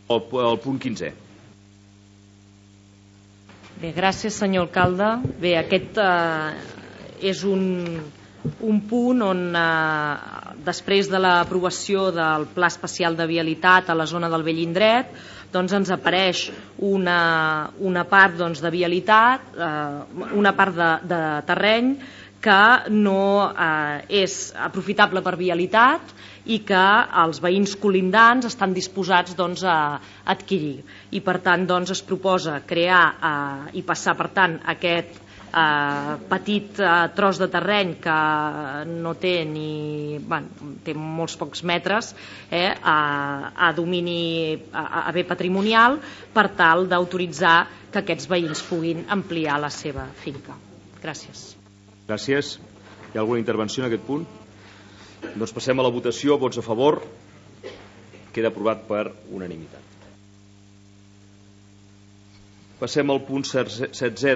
El punt 15è. Bé, gràcies, senyor alcalde. Bé, aquest és un punt on, després de l'aprovació del Pla Especial de Vialitat a la zona del Vell Indret, doncs ens apareix una part de vialitat, una part de terreny que no és aprofitable per vialitat i que els veïns colindants estan disposats a adquirir. I per tant es proposa crear i passar per tant aquest petit tros de terreny que no té té molts pocs metres a domini, a bé patrimonial, per tal d'autoritzar que aquests veïns puguin ampliar la seva finca. Gràcies. Gràcies. Hi ha alguna intervenció en aquest punt? Doncs passem a la votació. Vots a favor. Queda aprovat per unanimitat. Passem al punt 16è